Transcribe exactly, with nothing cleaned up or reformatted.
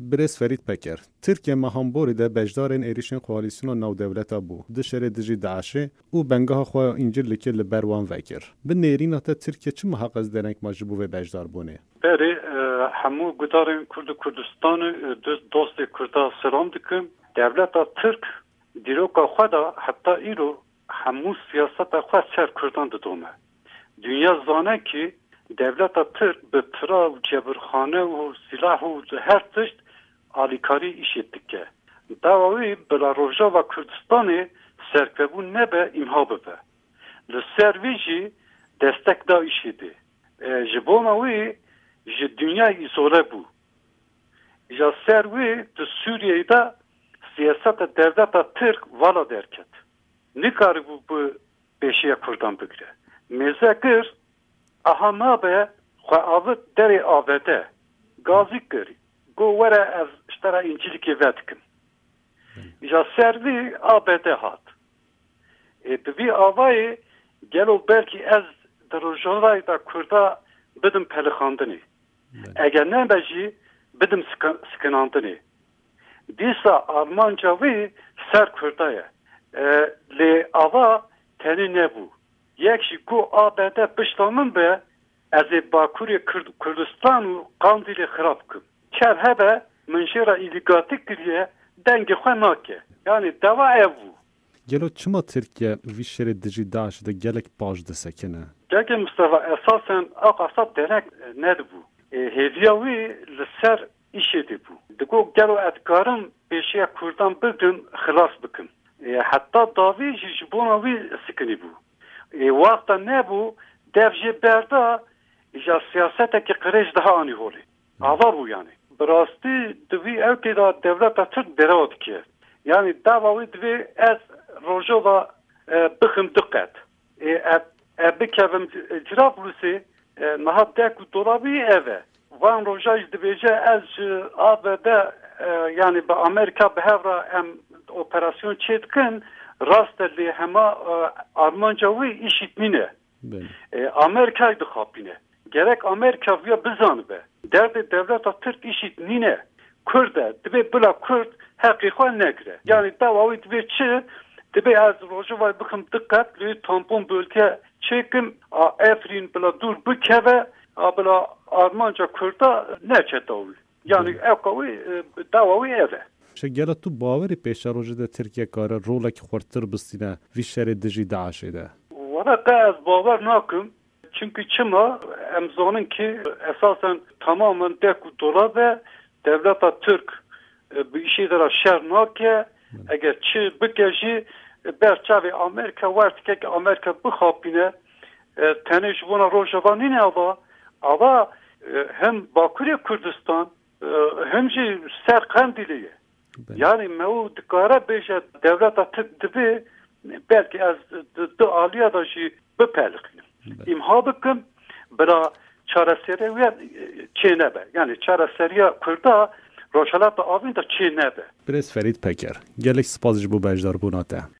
Birêz Ferîd Peker, Tirkiye mehan borî de beşdarên êrîşên koalîsyona navdewleta bû, di şerê dijî DAIŞê û bengeha xwe ya Încîlikê li ber wan vekir. Bi nêrîna te Tirkiye çi miheqez dereng ma ji bo vê beşdarbûnê? Berê, e, hemû gudarên Kurd û Kurdistanê, e, dost, dostê Kurda selam dikim. Dewleta Tirk dîroka xwe de heta îro hemû siyaseta xwe ser Kurdan didome. Dinya zane ki dewleta Tirk bi pira û cebirxane û silah û her tişt alîkarî îşê dike. Dawa wî bila Rojava Kurdistanê serkevbûn nebe, îmha bibe. Li ser vî jî destek da îşê dê. E, ji bona wî ji dinyayê îzole bû. Îja ser wî di Sûriyeyê de siyaseta dewleta Tirk vala derket. Nikaribû bi pêşiya Kurdan bigire. Mêze kir, aha nabe, xwe avit derê A B D. Gazî kir. Got, were ez ji te re Încîlikê vedikim. Îja ser vî A B D hat. Ê, bi vî avayê gelo belkî ez di Rojavayê de Kurda bidim pelixandinê. Belê. Eger nebe jî bidim sik-, sikinandinê. Dîsa armanca wî ser Kurda ye. E, lê ava tenê nebû. Yek jî got A B D pişta min be, ez ê Bakurê Kurd-, Kurdistan û Qandîlê xirab bikim. Çer hebe min jê re îlîgatî kiriye, dengê xwe nake. Yanî dewa ev bû. Gelo çima Tirkiye vî şerê dijî DAIŞ de gelek paş disekine? Gelkê Mistefa, esasen ew qasa derek nedibû. Ê, hêviya wî li ser îşê dê bû. Digot, gelo ez dikarim pêşiya Kurdan bigrim, xilas bikim. Ê, heta davî jî ji bona wî sikinî bû. Ê, wexta nebû, dev jê berda, îja siyasetekî qirêj daha anî holê. Ava bû yanî. Bi rastî di vî ewkê de dewleta Tirk derewa dike. Yanî dava wî divê ez Rojava, e, bixim du qet. Ê, e, e, bikevim Cirablusê, e, niha dek û dolabî ev e. Van roja jî dibêje ez ji A B D, e, yanî bi Amerîka bi hev re em operasyon çê dikin, rast e lê hema, e, armanca wî îşît nîne. Belê. E, Amerîkayê dixapîne. Gerek Amerîka viya bizanibe. Derdê dewleta Tirk îşît nîne. Kurd e. Dibê bila Kurd heqê xwe negire. Yanî dawa wî dibê çi? Dibê ez Rojavayê bixim diqet, lê tampon bölge çêkim, a Efrîn bila dûr bikeve, a bila armanca Kurda neçe dawî. Yanî Belê. Ewka wî, e, dawa wî ev e. Şegela tu bawerî pêşerojê de Tirkiye kare rolekî xurtir bistîne vî şerê dijî DAIŞê de? Wele qe ez bawer nakim. Çimkî çima? Em zanin ki esasen tamamen dek û dolab e, dewleta Tirk, e, bi îşê de re şer nake. Eger çi bike jî, e, ber çavê Amerîka wer dike ki Amerîka bixapîne, e, tenê ji bona Rojava nîne ava, ava, e, hem Bakurê Kurdistan, e, hem jî ser Qendîlê ye. Belê. Yanî me û dikare bêje dewleta Tirk divê belkî ez di, di aliya de jî bipelixînim. Belê. Îmha bikim, bila çareserî wê, e, çê nebe. Yanî çareseriya Kurda Rojhilata Avîn de çê nebe. Birêz Ferîd Peker, gelek spas ji bo beşdarbûna te.